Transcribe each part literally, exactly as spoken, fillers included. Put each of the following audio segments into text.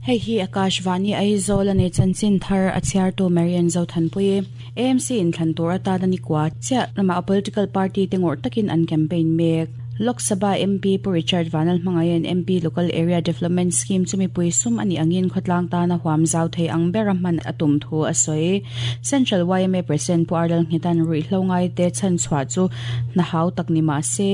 Hei hi Akashvani Aizawl ani chanchin thar a chhiartu Marian Zothanpui A M C in thlan tur atana ni kwa chiah lama a political party te ngawrh takin an campaign mek. Lok Sabha M P Pu Richard Vanlalhmangaiha'n M P Local Area Development Scheme chu mipui sum ani angin khawtlang tana huam zau thei ang bera hman a tum thu a sawi. Central Y M A President Pu Ardal Nghetan ruihhlo ngai te chan chhuah chu hna hau tak ni mah se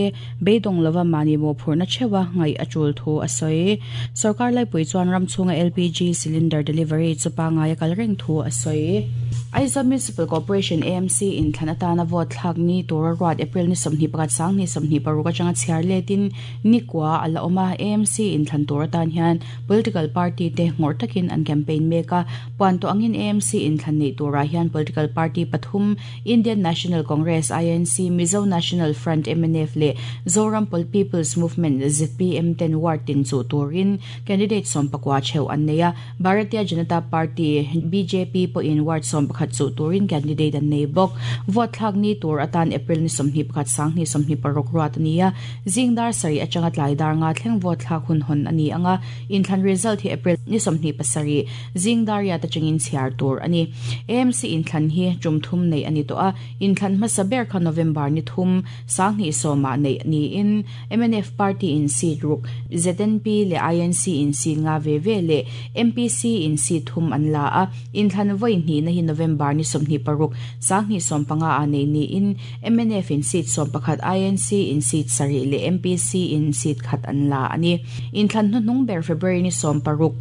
beidawng lova mahni mawhphurhna theuha ngaih a tul thu a sawi. Sorkar laipui chuan ram chhunga L P G cylinder delivery chu pangai a kal reng thu a sawi. Aizawl Municipal Corporation A M C in thlan atana vote thlak ni tura ruat April ni sawmhnih pakhat sang ni sawmhnih paruk atanga chhiar letin ni kwa ala awma. A M C in thlan tur atan hian political party te ngawrh takin an campaign mek a. Puan tawh angin A M C in thlan nei turah hian political party pathum, Indian National Congress I N C, Mizo National Front M N F leh Zoram People's Movement Z P M ten ward tin chu turin candidate sawm pakua theuh an nei a. Bharatiya Janata Party B J P pawhin ward sawm pakhat chu turin candidate an nei bawk. Vote thlak ni tur atan April ni sawmhnih pakhat sang ni sawmhnih paruk ruat ani a. Zingdar sarih atanga tlai dar nga thleng vote thlak hun hawn ani anga. Inthlan result hi April ni sawmhnih pasarih zingdar riat atangin chhiar tur ani. A M C inthlan hi tum thum nei ani tawh a. Inthlan hmasa ber kha November ni thum sang hnih sawma nei ni in M N F party in seat ruk, Z N P leh I N C in seat nga ve ve leh M P C in seat thum an la a. Inthlan voi hnih na hi November ni sawmhnih paruk sang hnih sawm panga a nei ni in M N F in seat sawm pakhat, I N C in seat sarih leh M P C in seat khat an la ani. Inthlan hnuhnung ber February ni sawm paruk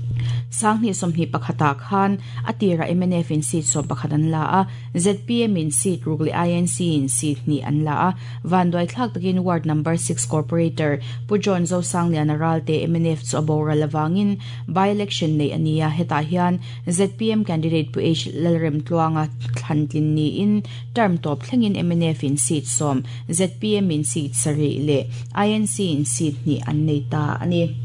sang hnih sawmhnih pakhata khan atira M N F in seat sawm pakhat an la a, Z P M in seat ruk leh I N C in seat hnih an la a. Vanduai thlak takin ward number six corporator Pu John Zosangliana Ralte M N F chu a boral awangin by election nei ania. Hetah hian Z P M candidate Pu H Lalrem Tluanga thlantlin ni in term tawp thlengin M N F in seat sawm, Z P M in seat sarih leh I N C in seat hnih an nei ta ani.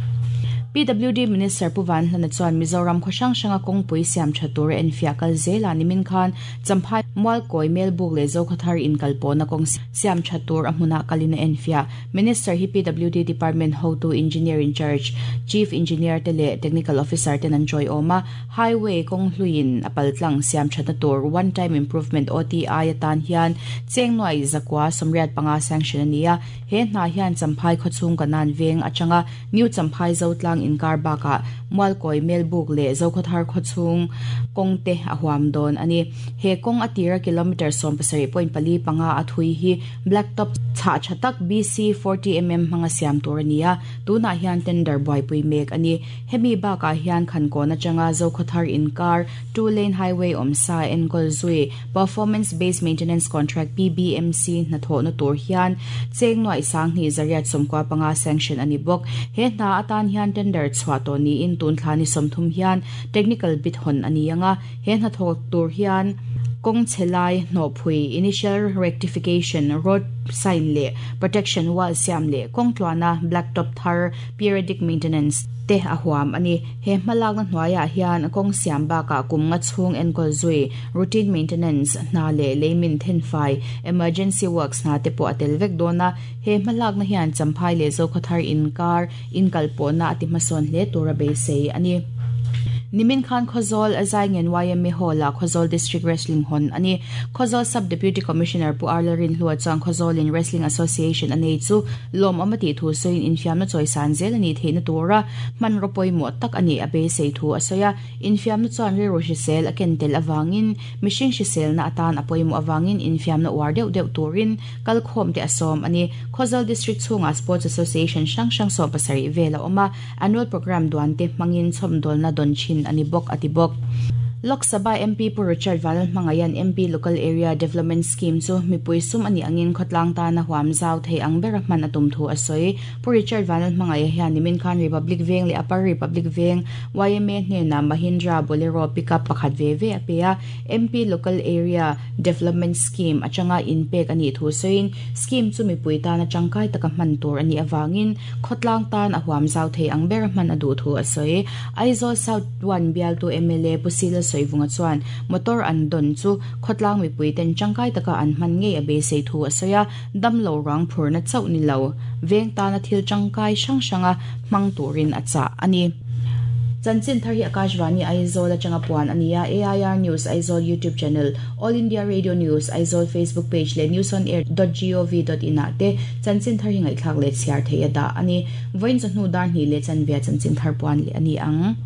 P W D Minister Pu Vanhlana chuan Mizoram khaw hrang hranga kawngpui siam tha tur en fiah kal zela. Nimin khan Champhai Mualkawi Melbuk leh Zokhawthar in kalpawhna kawng siam tha tur a hmunah kalin a en fiah. Minister hi P W D Department hotu, Engineer in Charge, Chief Engineer te leh Technical Officer ten an joy awm a. Highway kawng hluiin a paltlang siam thatna tur one time improvement O T I atan hian cheng nuai zakua sawmriat panga sanction ani a. He hna hian Champhai khawchhung kanan veng atanga New Champhai Zotlang inkar baka Mualkawi Melbuk leh Zokhawthar khawchhung kawng te a huam dawn ani. He kawng atira kilometer sawm pasarih point pali panga a thui hi blacktop chha thatak B C forty millimeter hmanga siam tur ani a. Tunah hian tender buaipui mek ani. Hemi bakah hian Khankawn atanga Zokhawthar inkar two lane highway awmsa enkawl zui performance based maintenance contract P B M C hnathawhna tur hian cheng nuai sang hnih zariat sawmkua panga sanction ani bawk. He hna atan hian tender chhuah tawh niin tun thla ni sawmthum hian technical bid hawn ani anga. He hnathawk tur hian kawng chhelai hnawhphui, initial rectification, road sign leh protection wall siam leh kawng tluana blacktop thar, periodic maintenance te a huam ani. He hmalakna hnuaiah hian kawng siam bakah kum nga chhung enkawl zui, routine maintenance hna leh leimin thenfai, emergency works hna te pawh a tel vek dawn a. He hmalakna hian Champhai leh Zokhawthar inkar inkalpawhna a ti hmasawn hle tura beisei ani. Nimin khan Khawzawl Zaingen Y M A Hall a Khawzawl District Wrestling hawn ani. Khawzawl Sub Deputy Commissioner Pu Arlarin Hlua chuan Khawzawl in Wrestling Association anei chu lawm amati thu soin infiamna chawisan zel ani theihna tura hman ropawimawh tak ani a beisei thu a sawi a. Infiamna chuan rilru hrisel a ken tel awangin mihring hriselna atan a pawimawh awangin infiamna uar deuh deuh turin kalkhawm te a sawm ani. Khawzawl District chhungah Sports Association hrang hrang sawm pasarih vel a awm a. Annual program duan te hmangin chhawmdawlna dawn thin ani bawk ati bawk. Lok Sabha M P Pu Richard Vanlalhmangaiha'n M P Local Area Development Scheme chu mipui sum ani angin khawtlang tana huam zau thei ang bera hman a tum thu a sawi. Pu Richard Vanlalhmangaiha hian nimin khan Republic Veng leh Upper Republic Veng Y M A hnena Mahindra Bolero pickup pakhat ve ve a pe a. M P Local Area Development Scheme atanga inpek ani thu sawiin scheme chu mipui tana tangkai taka hman tur ani awangin khawtlang tan a huam zau thei ang bera hman a duh thu a sawi. Aizawl South one bialtu M L A Pu Sila Soivunga chuan motor an don chu khawtlang mipui ten tangkai taka an hman ngei a beisei thu a sawi a. Damlo rang phurna chauh ni lo veng tana thil tangkai hrang hranga hmang turin a chah ani. Chanchin thar hi Akashvani Aizawl atanga puan ania A I R News Aizawl YouTube channel, All India Radio News Aizawl Facebook page le news on air dot gov dot in ah te chanchin thar hi ngaihthlak leh chhiar thei a dah ani. Vawiin chawhnu dar hnih leh chanvia chanchin thar puan leh ani ang.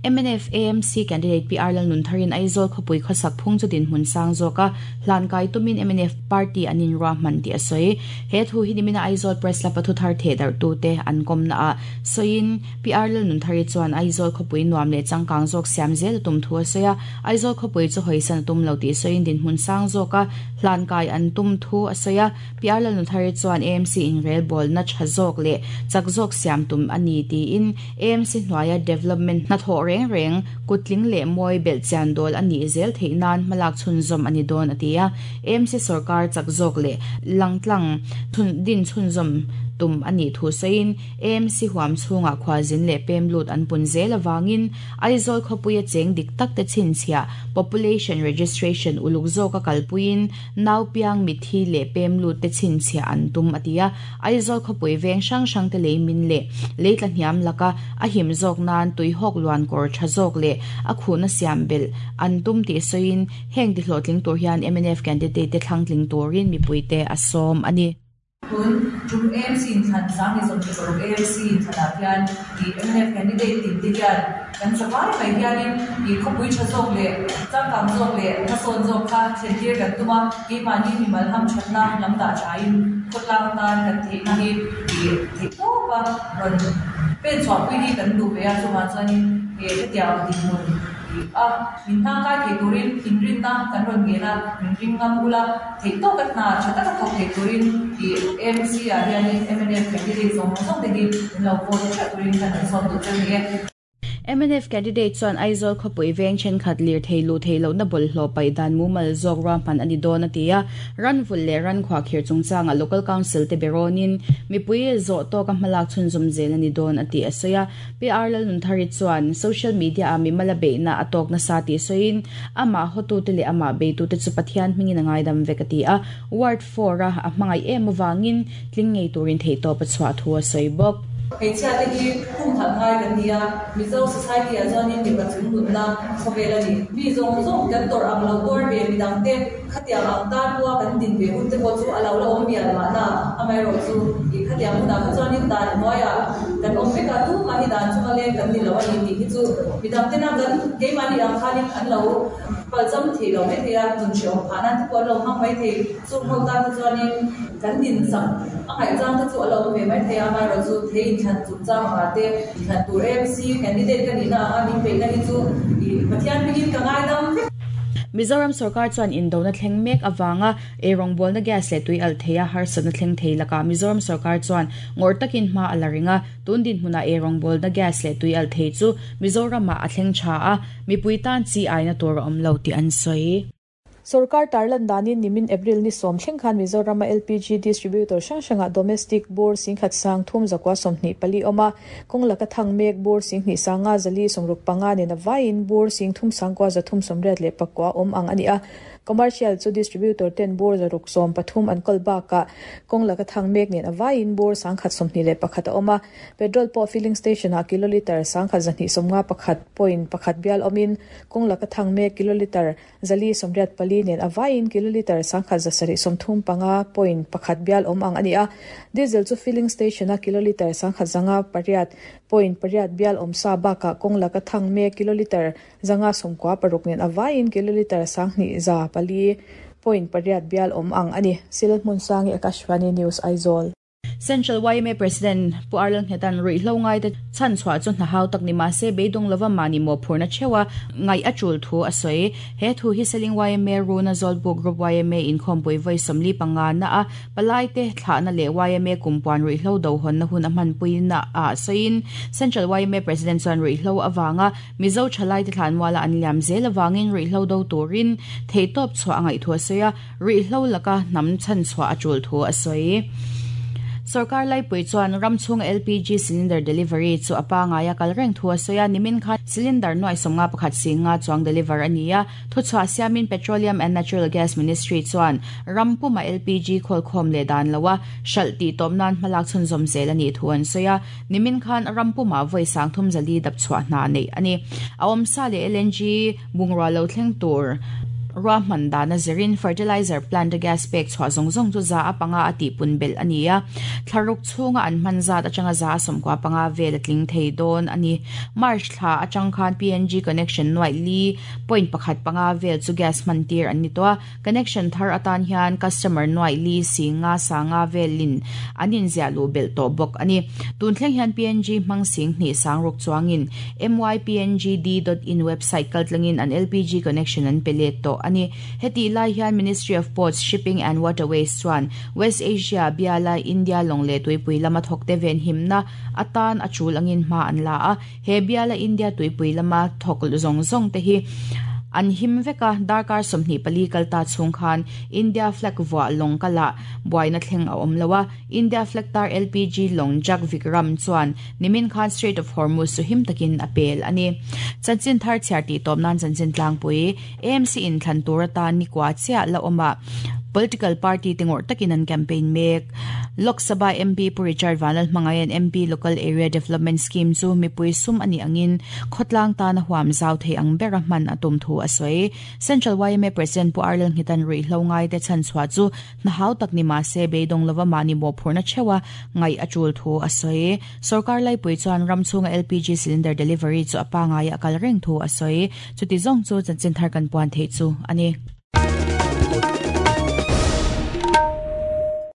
M N F A M C candidate P R Lalnuntharin Aizawl khawpui khawsak phung chu din hmun sang zawka hlan kai tumin M N F party anin ruah hman ti a sawi. He thu hi nimina Aizawl Press la pathu thar the dar tu te an kom na a soin P R Lalnunthari chuan Aizawl khawpui nuam leh changkang zawk siam zel tum thu a sawi a. Aizawl khawpui chu hoisan tum lo ti soin din hmun sang zawka hlan kai an tum thu a sawi a. P R Lalnunthari chuan A M C in rel ball na tha zawk leh chak zawk siam tum ani tiin A M C hnuaia development na thaw reng reng kutling leh mawi bel chian dol ani zel theinan hmalak chhun zawm ani dawn atia. A M C sarkar chak zawk leh langtlang thun din chhun zawm tum ani thu sein A M C huam chhunga khwazin leh pem lut an pun zel awangin Aizawl khawpuia cheng dik tak te chhinchhia population registration uluk zawka kalpuiin nau piang mithi leh pem lut te chhinchhia an tum atia. Aizawl khawpui veng hrang hrang te lei min leh leitla hniam laka a him zawk nan tui hawk luan kawr tha zawk leh a khuna siam bel an tum ti soin heng ti hlawhtling tur hian M N F candidate te thlangtling turin mipui te a sawm ani. Tun tum A M C in thlan sang ni som paruk A M C in thlan ah hian i M N F candidate tin te hian kan safai mai hianin i khawpui tha zawk leh changkang zawk leh hmasawn zawk kha thlentir kan tuma keimahni mimal ham thatna lam dah thain khawtlang tan kan theihna hi i theih tawpa rawn pen chhuahpui hi kan duh ve a. Chuvang chuanin he hetiang dinhmun a min hmang kai thei turin inrinna kan rawn ngen a, min ring ngam ula theih tawk a hna tha taka thawk thei turin i A M C ah hianin M N F candidate zawng zawng te hi min lo vote theuh turin kan rawn sawm duh cheu ni e. M N F candidate chuan Aizawl khawpui veng thenkhat lir thei lu thei lo na bawlhhlawh paih dan mumal zawk ruahman ani dawn atia. Ranvul leh ran khuahkhir chungchanga local council te berawnin mipui zawh tawka hmalak chhunzawm zel ani dawn ati a sawi a. P R Lalnunthari chuan social media a mimala beihna a tawk nasa ti sawiin amah hotu te leh amah beitu te chu Pathian hmingin a ngaidam vek ati a. Ward four a a hmangaih em awangin tling ngei turin theihtawp a chhuah thu a sawi bawk. Hmeichhia te hi khum khat ngai kan ni a, Mizo society ah chuanin mipa chung nunna khawvel ani. Mi zawng zawng kan tawrh ang lo tuar ve midang te khatiang ang tan pawha kan din ve hun te pawh chu a lo la awm mial mahna amaherawh chu i khatiang hunah kha chuanin dan hnuaiah kan awm vek a, tumah hi dan chunga leng kan ni lo ani tih hi chu midang tena kan keimahni ang khanin an lo palzam thei lo mai thei a, nun hreawm phah nan te pawh an lo hmang mai thei. Chung ho tan te chuanin kan din sak a ngaihchang te chu a lo awm ve mai thei a, amaherawh chu thei inthlan chungchang anga te inthlan tur A M C candidate ka nihna anga min peihna hi chu i Pathian hmingin ka ngaidam vek. Mizoram sarkar chuan indona thleng mek awanga eirawng na gas leh tui al theia harsatna thleng thei laka Mizoram sarkar chuan ngawr takin hma a la ringa. Tun din hmuna eirawng na gas leh tui al thei chu Mizoram ah a thleng tha a, mipui tan chi aina tur a awm lo ti an sawi. Sarkar tarlan danin nimin April ni som thleng khan Mizoram L P G distributor hrang hranga domestic bur singkhat sang thum zakwa sawmhnih pali awma kawng laka thang mek bur singhnih sanga zali sawmruk panga nen avaiin bur sing thum sangkua zathum sawmriat leh pakua awm ang ani a. Commercial chu distributor ten bur zaruk sawm pathum an kal baka kawng laka thang mek nen avaiin bur sangkhat sawmhnih leh pakhat a awm a. Petrol pawh filling station ah kiloliter sangkhat zahnih sawmnga pakhat point pakhat bial awmin kawng laka thang mek kiloliter zali sawmriat pali nen avaiin kiloliter sangkhat zasarih sawmthum panga point pakhat bial awm ang ani a. Diesel chu filling station a kiloliter sangkhat zanga pariat point pariat bial awm sa baka kawng laka thang mek kiloliter zanga sawmkua paruk nen avaiin kiloliter sanghnih za pali point pariat bial awm ang ani. Silhmun Sangi, Akashvani News, Aizawl. Central Y M A President Pu Arlan Hetan ruihhlo ngai te chan chhuah chu hna hau tak ni ma se beidawng lova mani mo phurna chewa ngai a tul thu a sawi. He thu hi seling Y M A Runa Zawlbuk Group Y M A inkhawmpui vawi sawmli panga na a palai te thlahna leh Y M A kumpuan ruihhlo do hawn na hun a hmanpui na a sawiin Central Y M A President chuan ruihhlo awanga Mizo thalai te thlan muala an liam zel awangin ruihhlo do turin theihtawp chhuah a ngaih thu a sawi a, ruihhlo laka hnam chan chhuah a tul thu a sawi. Sarkar lai pui chuan ramchhung L P G cylinder delivery chu apa ngaia kal reng thu asoya nimin kha cylinder noi somnga pakhat singa chuang deliver ania thu chwa siamin Petroleum and Natural Gas Ministry chuan rampuma L P G khol khom le dan lawa shalti tomnan malak chun zom zel ani thuan soya nimin khan rampuma voi sang thum zali dap chwa na nei ani awm sa le L N G bungra lo thleng tur Rahman dana zerin fertilizer plant gas pek chwa zong zong chu za apanga ati punbel ania thlaruk chunga an manza atanga za somkwa panga vel tling thei don ani March thla atang khan P N G connection noi li point pakhat panga vel chu gas mantir ani to connection thar atan hian customer noi li singa sanga velin anin zia lu bel to bok ani tun thleng hian P N G mang sing ni sangruk chuangin m y p n g d dot in website kaltlangin an L P G connection an pele to ani heti lai hian Ministry of Ports Shipping and Waterways chuan West Asia biala India longle tuipui lama thokte ven himna atan achul angin ma an la a he biala India tuipui lama thok zong zong te hi an him veka darkar somni pali kalta chung khan India flag wa long kala buaina thleng a omlawa India flag tar L P G long jak Vikram chuan nimin khan Strait of Hormuz su him takin apel ani chanchin thar chiarti tomnan chanchin tlangpui A M C in thlan turata ni kwa chia la oma political party tingor takin an campaign mek Lok Sabha M P Pu Richard Vanal Mangayan M P Local Area Development Scheme chu mipui sum ani angin khotlang ta na huam zau thei ang berahman atum thu asoi Central Y M A President Pu Arlen Hitan ri hlongai te chan chwa chu na hau tak ni ma se beidong lova mani mo phurna chewa ngai achul thu asoi sarkar lai pui chuan ramchunga L P G cylinder delivery chu apa ngai akal reng thu asoi chuti zong chu chanchin thar kan puan thei chu ani.